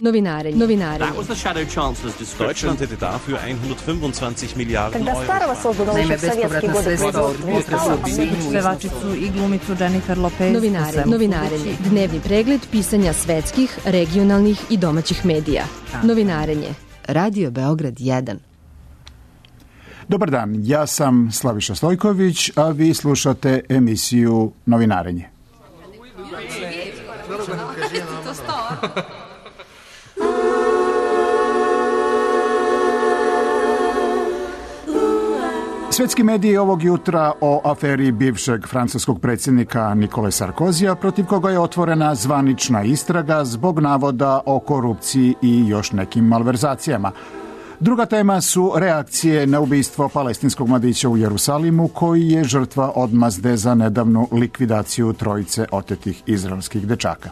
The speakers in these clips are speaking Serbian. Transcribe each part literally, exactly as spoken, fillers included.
Novinarenje. Novinarenje. That was the Shadow Chancellor's description. Deutschland hätte dafür hundertfünfundzwanzig Miliarden Euro. Naime, bespovratna sredstva od pevačicu i glumicu Jennifer Lopez. Novinarenje. Novinarenje. Dnevni pregled pisanja svetskih, regionalnih i domaćih medija. Novinarenje. Radio Beograd jedan. Dobar dan, ja sam Slaviša Stojković, a vi slušate emisiju Novinarenje. Svetski mediji ovog jutra o aferi bivšeg francuskog predsjednika Nikole Sarkozija, protiv koga je otvorena zvanična istraga zbog navoda o korupciji i još nekim malverzacijama. Druga tema su reakcije na ubistvo palestinskog mladića u Jerusalimu, koji je žrtva odmazde za nedavnu likvidaciju trojice otetih izraelskih dečaka.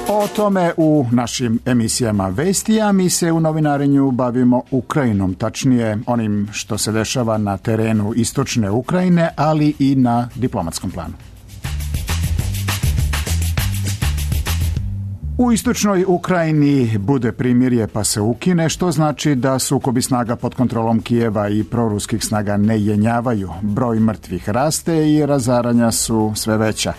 O tome u našim emisijama vesti, a mi se u novinarenju bavimo Ukrajinom, tačnije onim što se dešava na terenu istočne Ukrajine, ali i na diplomatskom planu. U istočnoj Ukrajini bude primirje pa se ukine, što znači da sukobi snaga pod kontrolom Kijeva i proruskih snaga ne jenjavaju. Broj mrtvih raste i razaranja su sve veća.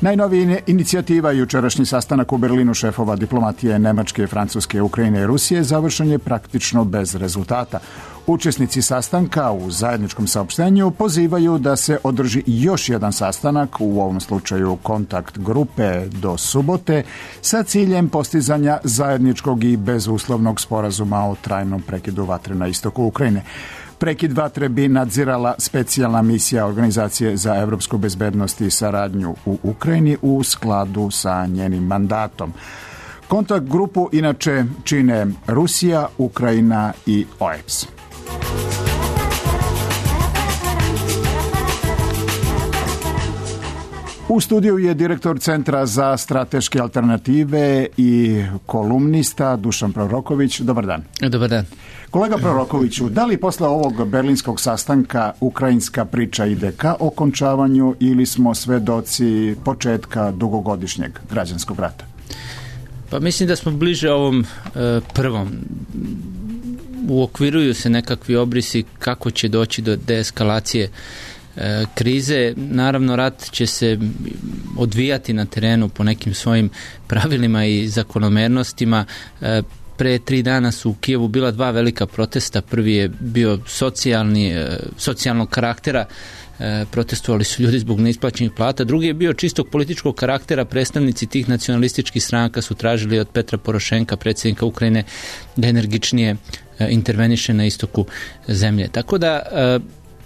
Najnovija inicijativa, jučerašnji sastanak u Berlinu šefova diplomatije Nemačke, Francuske, Ukrajine i Rusije, završen je praktično bez rezultata. Učesnici sastanka u zajedničkom saopštenju pozivaju da se održi još jedan sastanak, u ovom slučaju kontakt grupe, do subote, sa ciljem postizanja zajedničkog i bezuslovnog sporazuma o trajnom prekidu vatre na istoku Ukrajine. Prekid vatre bi nadzirala specijalna misija Organizacije za evropsku bezbednost i saradnju u Ukrajini u skladu sa njenim mandatom. Kontakt grupu inače čine Rusija, Ukrajina i O E B S. U studiju je direktor Centra za strateške alternative i kolumnista Dušan Proroković. Dobar dan. Dobar dan. Kolega Prorokoviću, da li posle ovog berlinskog sastanka ukrajinska priča ide ka okončavanju ili smo svedoci početka dugogodišnjeg građanskog rata? Pa mislim da smo bliže ovom e, prvom. Uokviruju se nekakvi obrisi kako će doći do deeskalacije e, krize. Naravno, rat će se odvijati na terenu po nekim svojim pravilima i zakonomernostima. E, Pre tri dana su u Kijevu bila dva velika protesta. Prvi je bio socijalni, socijalnog karaktera. Protestovali su ljudi zbog neisplaćenih plata. Drugi je bio čistog političkog karaktera. Predstavnici tih nacionalističkih stranaka su tražili od Petra Porošenka, predsjednika Ukrajine, da energičnije interveniše na istoku zemlje. Tako da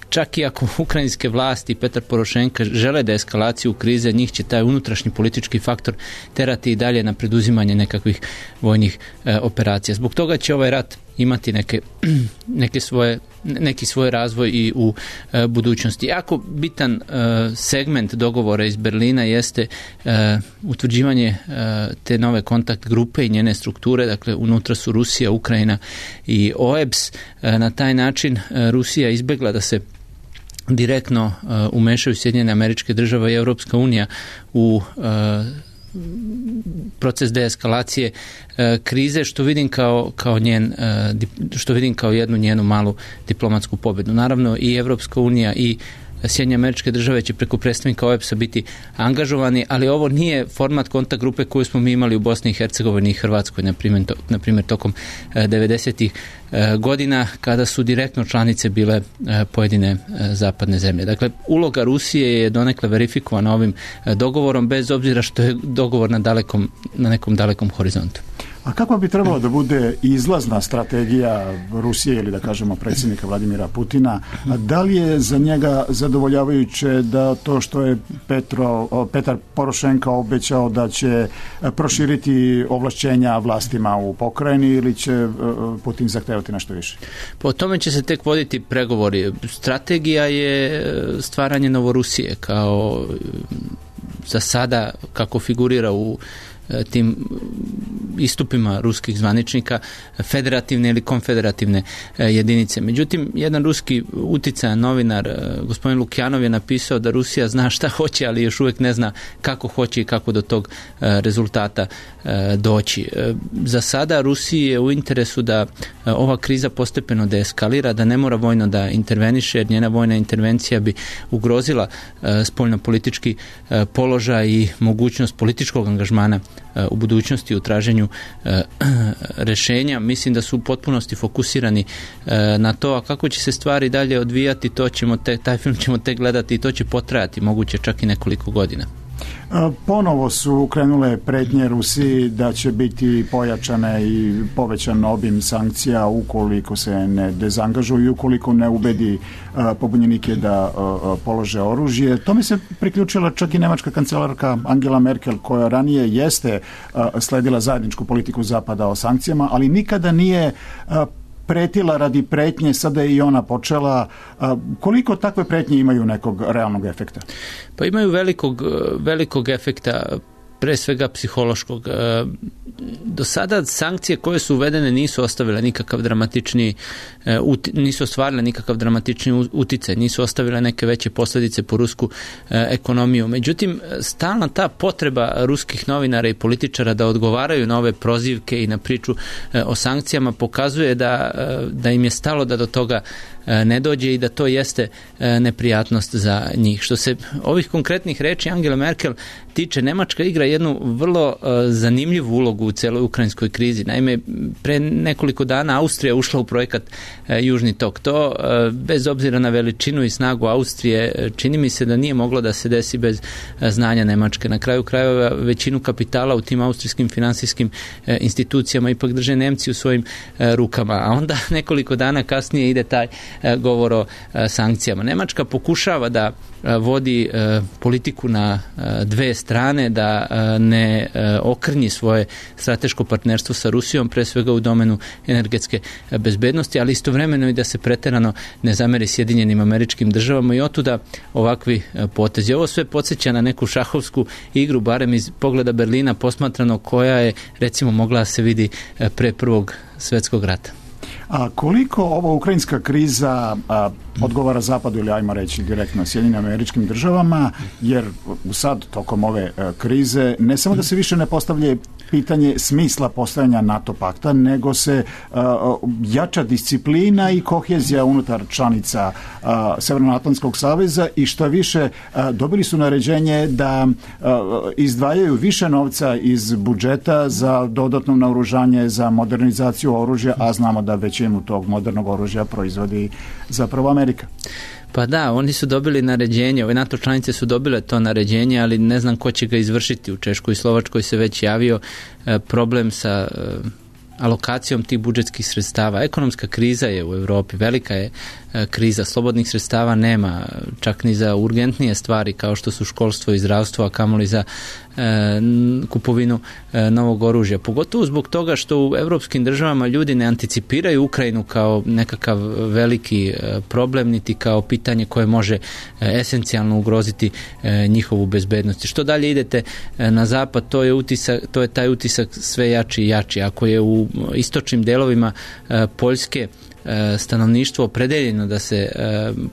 čak i ako ukrajinske vlasti i Petar Porošenka žele da eskalaciju krize, njih će taj unutrašnji politički faktor terati i dalje na preduzimanje nekakvih vojnih e, operacija. Zbog toga će ovaj rat imati neke, neke svoje, neki svoj razvoj i u e, budućnosti. Jako bitan e, segment dogovora iz Berlina jeste e, utvrđivanje e, te nove kontakt grupe i njene strukture. Dakle, unutra su Rusija, Ukrajina i O E B S. E, na taj način e, Rusija izbjegla da se direktno uh, umešaju Sjedinjene Američke Države i Europska unija u uh, proces deeskalacije uh, krize, što vidim kao, kao njen, uh, dip, što vidim kao jednu njenu malu diplomatsku pobjedu. Naravno, i Europska unija i Sjedinjene Američke Države će preko predstavnika O E B S-a biti angažovani, ali ovo nije format kontakt grupe koju smo mi imali u Bosni i Hercegovini i Hrvatskoj, na primjer, to, na primjer tokom devedesetih godina, kada su direktno članice bile pojedine zapadne zemlje. Dakle, uloga Rusije je donekle verifikovana ovim dogovorom, bez obzira što je dogovor na, dalekom, na nekom dalekom horizontu. A kako bi trebalo da bude izlazna strategija Rusije ili da kažemo predsjednika Vladimira Putina? A da li je za njega zadovoljavajuće da to što je Petro, Petar Porošenka obećao da će proširiti ovlašćenja vlastima u pokrajini, ili će Putin zahtevati nešto više? Po tome će se tek voditi pregovori. Strategija je stvaranje Novorusije kao za sada kako figurira u tim istupima ruskih zvaničnika federativne ili konfederativne jedinice. Međutim, jedan ruski uticajan novinar, gospodin Lukjanov, je napisao da Rusija zna šta hoće, ali još uvijek ne zna kako hoće i kako do tog rezultata doći. Za sada Rusiji je u interesu da ova kriza postepeno deeskalira, da ne mora vojno da interveniše, jer njena vojna intervencija bi ugrozila spoljnopolitički položaj i mogućnost političkog angažmana u budućnosti u traženju rešenja. Mislim da su u potpunosti fokusirani na to, a kako će se stvari dalje odvijati, to ćemo te, taj film ćemo tek gledati i to će potrajati, moguće čak i nekoliko godina. Ponovo su krenule pretnje Rusiji da će biti pojačane i povećan obim sankcija ukoliko se ne dezangažuju i ukoliko ne ubedi pobunjenike da polože oružje. To mi se priključila čak i nemačka kancelarka Angela Merkel, koja ranije jeste sledila zajedničku politiku Zapada o sankcijama, ali nikada nije pretila radi pretnje, sada je i ona počela. Koliko takve pretnje imaju nekog realnog efekta? Pa imaju velikog, velikog efekta, pre svega psihološkog. Do sada sankcije koje su uvedene nisu ostavile nikakav dramatični nisu ostvarile nikakav dramatični uticaj, nisu ostavile neke veće posljedice po rusku ekonomiju. Međutim, stalna ta potreba ruskih novinara i političara da odgovaraju na ove prozivke i na priču o sankcijama pokazuje da, da im je stalo da do toga ne dođe i da to jeste neprijatnost za njih. Što se ovih konkretnih reči Angela Merkel tiče, Nemačka igra jednu vrlo zanimljivu ulogu u celoj ukrajinskoj krizi. Naime, pre nekoliko dana Austrija ušla u projekat Južni tok. To, bez obzira na veličinu i snagu Austrije, čini mi se da nije moglo da se desi bez znanja Nemačke. Na kraju krajeva većinu kapitala u tim austrijskim finansijskim institucijama ipak drže Nemci u svojim rukama. A onda nekoliko dana kasnije ide taj govor o sankcijama. Nemačka pokušava da vodi politiku na dve strane, da ne okrnji svoje strateško partnerstvo sa Rusijom, pre svega u domenu energetske bezbednosti, ali istovremeno i da se preterano ne zameri Sjedinjenim Američkim Državama i otuda ovakvi potezi. Ovo sve podsjeća na neku šahovsku igru, barem iz pogleda Berlina posmatrano, koja je recimo mogla da se vidi pre Prvog svjetskog rata. A koliko ova ukrajinska kriza a, odgovara Zapadu ili ajmo reći direktno Sjedinjenim Američkim Državama, jer sad tokom ove a, krize ne samo da se više ne postavlja pitanje smisla postojanja NATO pakta, nego se a, jača disciplina i kohezija unutar članica a, Severnoatlantskog saveza i što više a, dobili su naređenje da a, izdvajaju više novca iz budžeta za dodatno naoružanje, za modernizaciju oružja, a znamo da većinu tog modernog oružja proizvodi zapravo Amerika. Pa da, oni su dobili naređenje, ove NATO članice su dobile to naređenje, ali ne znam ko će ga izvršiti. U Češkoj i Slovačkoj se već javio e, problem sa e, alokacijom tih budžetskih sredstava. Ekonomska kriza je u Europi, velika je e, kriza, slobodnih sredstava nema, čak ni za urgentnije stvari kao što su školstvo i zdravstvo, a kamoli za e, kupovinu e, novog oružja. Pogotovo zbog toga što u evropskim državama ljudi ne anticipiraju Ukrajinu kao nekakav veliki e, problem, niti kao pitanje koje može e, esencijalno ugroziti e, njihovu bezbednost. Što dalje idete e, na zapad, to je utisak, to je taj utisak sve jači i jači. Ako je u istočnim delovima e, Poljske stanovništvo opredeljeno da se e,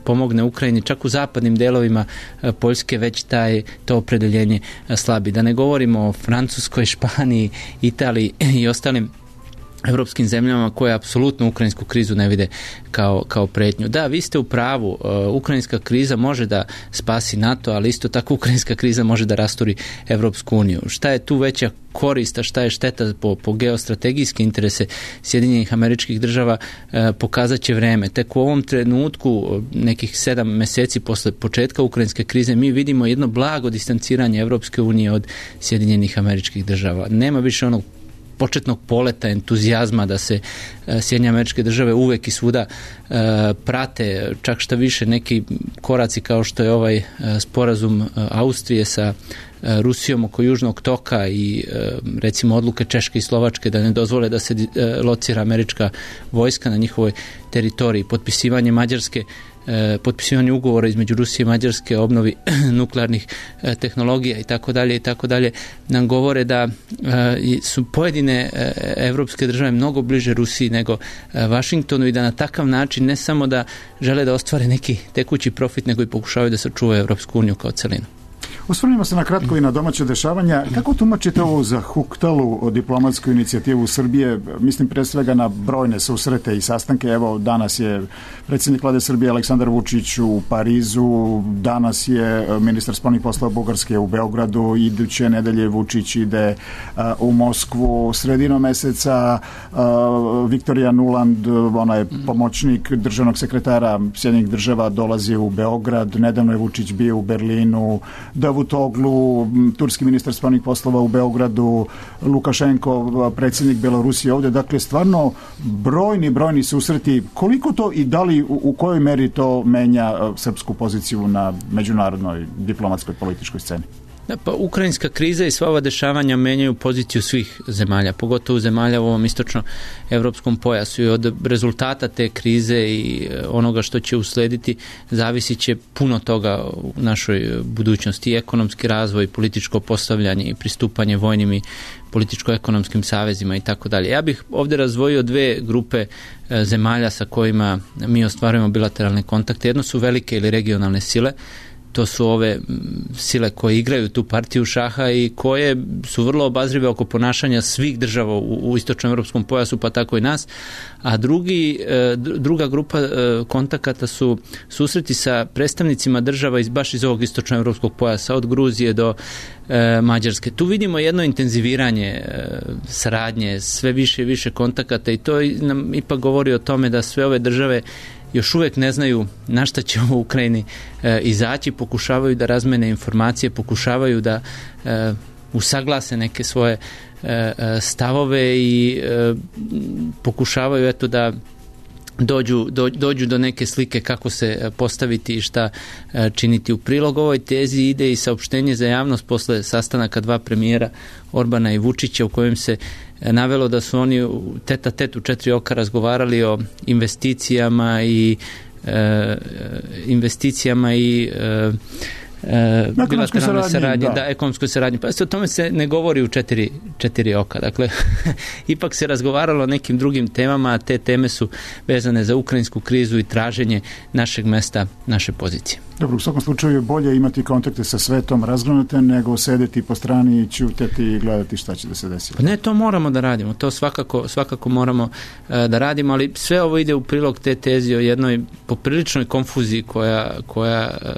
pomogne Ukrajini, čak u zapadnim delovima e, Poljske već taj, to opredeljenje e, slabi. Da ne govorimo o Francuskoj, Španiji, Italiji i ostalim evropskim zemljama koje apsolutno ukrajinsku krizu ne vide kao, kao pretnju. Da, vi ste u pravu, uh, ukrajinska kriza može da spasi NATO, ali isto tako ukrajinska kriza može da rasturi Evropsku uniju. Šta je tu veća korist, a šta je šteta po, po geostrategijske interese Sjedinjenih Američkih Država, uh, pokazat će vreme. Tek u ovom trenutku, nekih sedam meseci posle početka ukrajinske krize, mi vidimo jedno blago distanciranje Evropske unije od Sjedinjenih Američkih Država. Nema više onog početnog poleta, entuzijazma da se e, Sjedinjene Američke Države uvek i svuda e, prate, čak šta više neki koraci kao što je ovaj e, sporazum e, Austrije sa e, Rusijom oko Južnog toka i e, recimo odluke Češke i Slovačke da ne dozvole da se e, locira američka vojska na njihovoj teritoriji, potpisivanje Mađarske e, potpisivanje ugovora između Rusije i Mađarske o obnovi nuklearnih e, tehnologija i tako dalje i tako dalje nam govore da e, su pojedine e, evropske države mnogo bliže Rusiji nego e, Vašingtonu i da na takav način ne samo da žele da ostvare neki tekući profit, nego i pokušavaju da sačuvaju Evropsku uniju kao celinu. Osvrnimo se na kratko i na domaće dešavanja. Kako tumačite ovu zahuktalu diplomatsku inicijativu Srbije? Mislim pre svega na brojne susrete i sastanke. Evo, danas je predsjednik vlade Srbije Aleksandar Vučić u Parizu, danas je ministar spoljnih poslova Bugarske u Beogradu, iduće nedelje Vučić ide uh, u Moskvu. Sredinom meseca uh, Viktorija Nuland, ona je pomoćnik državnog sekretara Sjedinjenih država, dolazi u Beograd. Nedavno je Vučić bio u Berlinu. Davutoglu, turski ministar spoljnih poslova u Beogradu, Lukašenko, predsjednik Belorusije ovdje. Dakle, stvarno brojni, brojni susreti. Koliko to i da li u, u kojoj meri to menja srpsku poziciju na međunarodnoj diplomatskoj političkoj sceni? Da, pa ukrajinska kriza i sva ova dešavanja menjaju poziciju svih zemalja, pogotovo zemalja u ovom istočno-evropskom pojasu, i od rezultata te krize i onoga što će uslediti zavisit će puno toga u našoj budućnosti, i ekonomski razvoj, političko postavljanje i pristupanje vojnim i političko-ekonomskim savezima i tako dalje. Ja bih ovdje razdvojio dve grupe zemalja sa kojima mi ostvarujemo bilateralne kontakte. Jedno su velike ili regionalne sile. To su ove sile koje igraju tu partiju šaha i koje su vrlo obazrive oko ponašanja svih država u, u istočnoevropskom pojasu, pa tako i nas. A drugi, druga grupa kontakata su susreti sa predstavnicima država iz, baš iz ovog istočnoevropskog pojasa, od Gruzije do e, Mađarske. Tu vidimo jedno intenziviranje e, saradnje, sve više i više kontakata, i to nam ipak govori o tome da sve ove države još uvijek ne znaju na šta će u Ukrajini e, izaći, pokušavaju da razmene informacije, pokušavaju da e, usaglase neke svoje e, stavove i e, pokušavaju eto da dođu, do, dođu do neke slike kako se postaviti i šta e, činiti. U prilog ovoj tezi ide i saopštenje za javnost posle sastanaka dva premijera Orbana i Vučića, u kojem se navelo da su oni tet a tet u četiri oka razgovarali o investicijama i e, investicijama i e, e, bilateralnoj saradnji, da, da ekonomskoj saradnji. Pa o tome se ne govori u četiri, četiri oka. Dakle, ipak se razgovaralo o nekim drugim temama, a te teme su vezane za ukrajinsku krizu i traženje našeg mesta, naše pozicije. Dobro, u svakom slučaju je bolje imati kontakte sa svetom razgranate nego sedeti po strani i ćutati i gledati šta će da se desi. Pa ne, to moramo da radimo, to svakako, svakako moramo uh, da radimo, ali sve ovo ide u prilog te tezi o jednoj popriličnoj konfuziji koja, koja uh,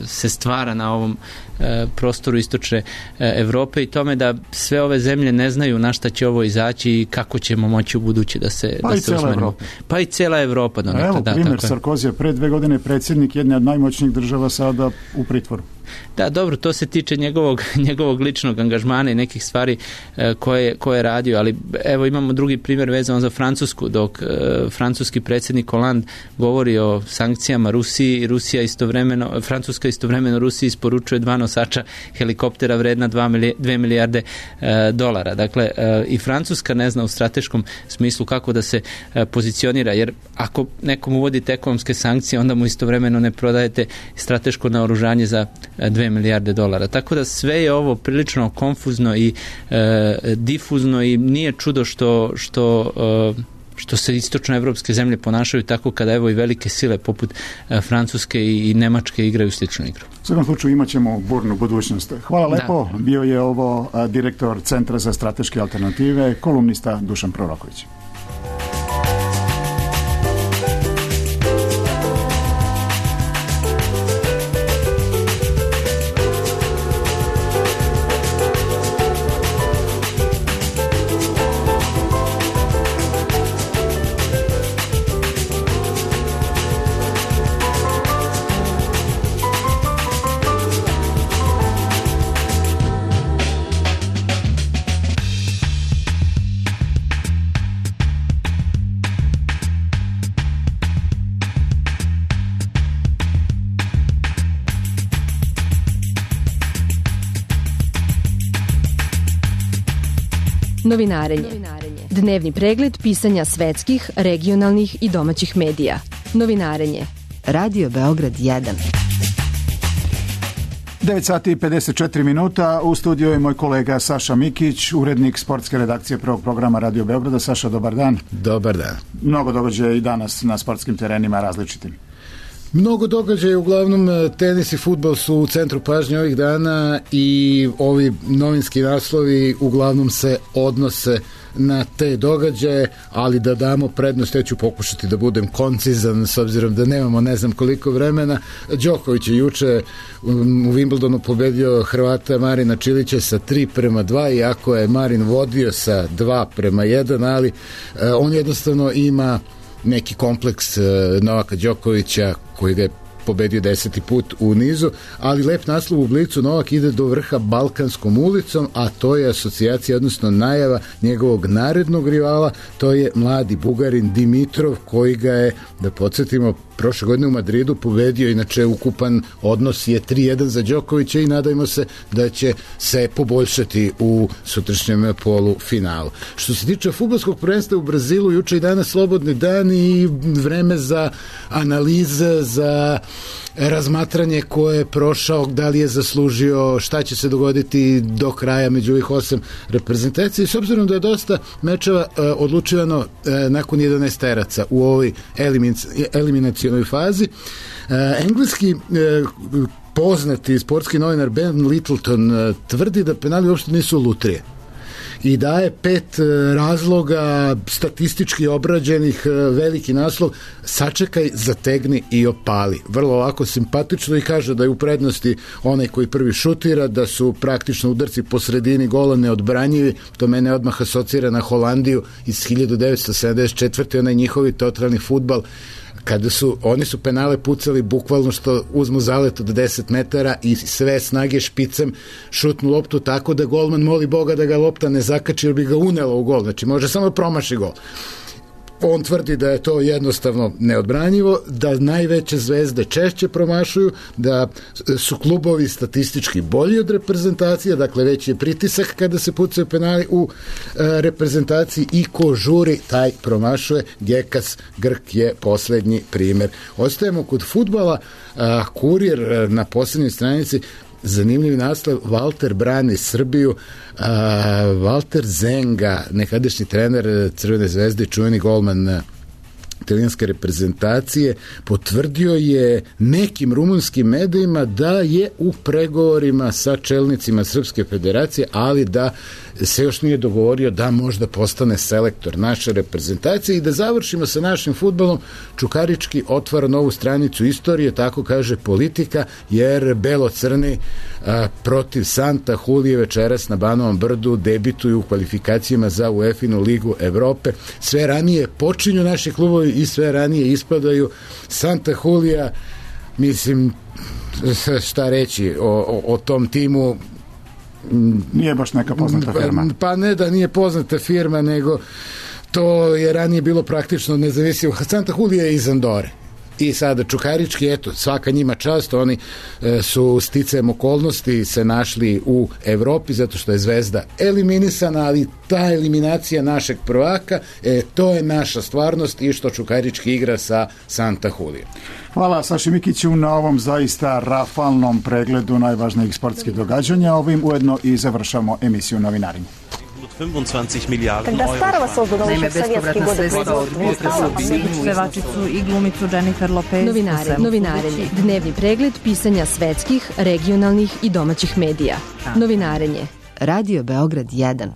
se stvara na ovom uh, prostoru istočne uh, Evrope, i tome da sve ove zemlje ne znaju na šta će ovo izaći i kako ćemo moći u buduće da se, pa da se usmerimo. Pa i cela Evropa. Da, evo da, primjer Sarkozija, pre dve godine predsjednik jedne od najmoćnijih država, sada u pritvoru. Da, dobro, to se tiče njegovog, njegovog ličnog angažmana i nekih stvari e, koje, koje je radio, ali evo imamo drugi primjer vezan za Francusku, dok e, francuski predsjednik Hollande govori o sankcijama Rusiji, Rusija istovremeno, Francuska istovremeno Rusiji isporučuje dva nosača helikoptera vredna dve milijarde e, dolara. Dakle, e, i Francuska ne zna u strateškom smislu kako da se e, pozicionira, jer ako nekom uvodite ekonomske sankcije, onda mu istovremeno ne prodajete strateško naoružanje za dve milijarde dolara. Tako da sve je ovo prilično konfuzno i e, difuzno, i nije čudo što, što, e, što se istočnoevropske zemlje ponašaju tako kada evo i velike sile poput e, Francuske i, i Nemačke igraju sličnu igru. U svakom slučaju imat ćemo burnu budućnost. Hvala lepo. Da. Bio je ovo a, direktor Centra za strateške alternative, kolumnista Dušan Proroković. Novinarenje. Dnevni pregled pisanja svetskih, regionalnih i domaćih medija. Novinarenje. Radio Beograd jedan. devet sati i pedeset četiri minuta. U studiju je moj kolega Saša Mikić, urednik sportske redakcije prvog programa Radio Beograda. Saša, dobar dan. Dobar dan. Mnogo događaja i danas na sportskim terenima različitim. Mnogo događaja, uglavnom tenis i fudbal su u centru pažnje ovih dana i ovi novinski naslovi uglavnom se odnose na te događaje, ali da damo prednost, ja ću pokušati da budem koncizan s obzirom da nemamo ne znam koliko vremena. Đoković je juče u Wimbledonu pobedio Hrvata Marina Čilića sa tri prema dva, iako je Marin vodio sa dva prema jedan, ali eh, on jednostavno ima neki kompleks eh, Novaka Đokovića koji ga je pobedio deseti put u nizu, ali lep naslov u Blicu: Novak ide do vrha Balkanskom ulicom, a to je asocijacija, odnosno najava njegovog narednog rivala, to je mladi Bugarin Dimitrov, koji ga je, da podsjetimo, prošle godine u Madridu pobedio. Inače ukupan odnos je tri jedan za Đokovića i nadajmo se da će se poboljšati u sutrašnjem polufinalu. Što se tiče fudbalskog prvenstva u Brazilu, juče i danas slobodni dan i vreme za analize, za razmatranje ko je prošao, da li je zaslužio, šta će se dogoditi do kraja među ovih osam reprezentacija. S obzirom da je dosta mečeva e, odlučivano e, nakon jedanaesteraca u ovoj eliminacionoj fazi, e, engleski e, poznati sportski novinar Ben Littleton e, tvrdi da penali uopšte nisu lutrije i daje pet razloga statistički obrađenih, veliki naslov: sačekaj, zategni i opali. Vrlo ovako simpatično, i kaže da je u prednosti onaj koji prvi šutira, da su praktično udarci po sredini gola neodbranjivi. To mene odmah asocira na Holandiju iz hiljadu devetsto sedamdeset četvrte. onaj njihovi totalni fudbal, kada su, oni su penale pucali bukvalno što uzmu zalet od deset metara i sve snage špicem šutnu loptu tako da golman moli Boga da ga lopta ne zakači jer bi ga unela u gol, znači može samo promaši gol. On tvrdi da je to jednostavno neodbranjivo, da najveće zvezde češće promašuju, da su klubovi statistički bolji od reprezentacije, dakle veći je pritisak kada se pucaju penali u e, reprezentaciji i ko žuri, taj promašuje. Gekas Grk je poslednji primer. Ostajemo kod fudbala. A, Kurir na poslednjoj stranici, zanimljiv naslov: Valter brani Srbiju. A, Valter Zenga, nekadašnji trener Crvene zvezde, čuveni golman italijanske reprezentacije, potvrdio je nekim rumunskim medijima da je u pregovorima sa čelnicima Srpske federacije, ali da se još nije dogovorio da možda postane selektor naše reprezentacije. I da završimo sa našim fudbalom, Čukarički otvara novu stranicu istorije, tako kaže Politika, jer belo-crni a, protiv Santa Hulije večeras na Banovom Brdu debituju u kvalifikacijama za UEFA-inu ligu Evrope. Sve ranije počinju naši klubovi i sve ranije ispadaju. Santa Hulija, mislim, šta reći o, o, o tom timu, nije baš neka poznata firma. Pa ne da nije poznata firma, nego to je ranije bilo praktično nezavisno. Santa Hulija je iz Andore. I sada Čukarički, eto, svaka njima čast, oni e, su sticajem okolnosti se našli u Evropi zato što je Zvezda eliminisana, ali ta eliminacija našeg prvaka, e, to je naša stvarnost i što Čukarički igra sa Santa Hulijom. Hvala Saši Mikiću na ovom zaista rafalnom pregledu najvažnijih sportskih događanja. Ovim ujedno i završamo emisiju Novinarenje. Когда старого создано еще в советские годы Pevačicu i glumicu Jennifer Lopez. Novinare, novinarenje. Dnevni pregled pisanja svetskih, regionalnih i domaćih medija. Novinarenje. Radio Beograd jedan.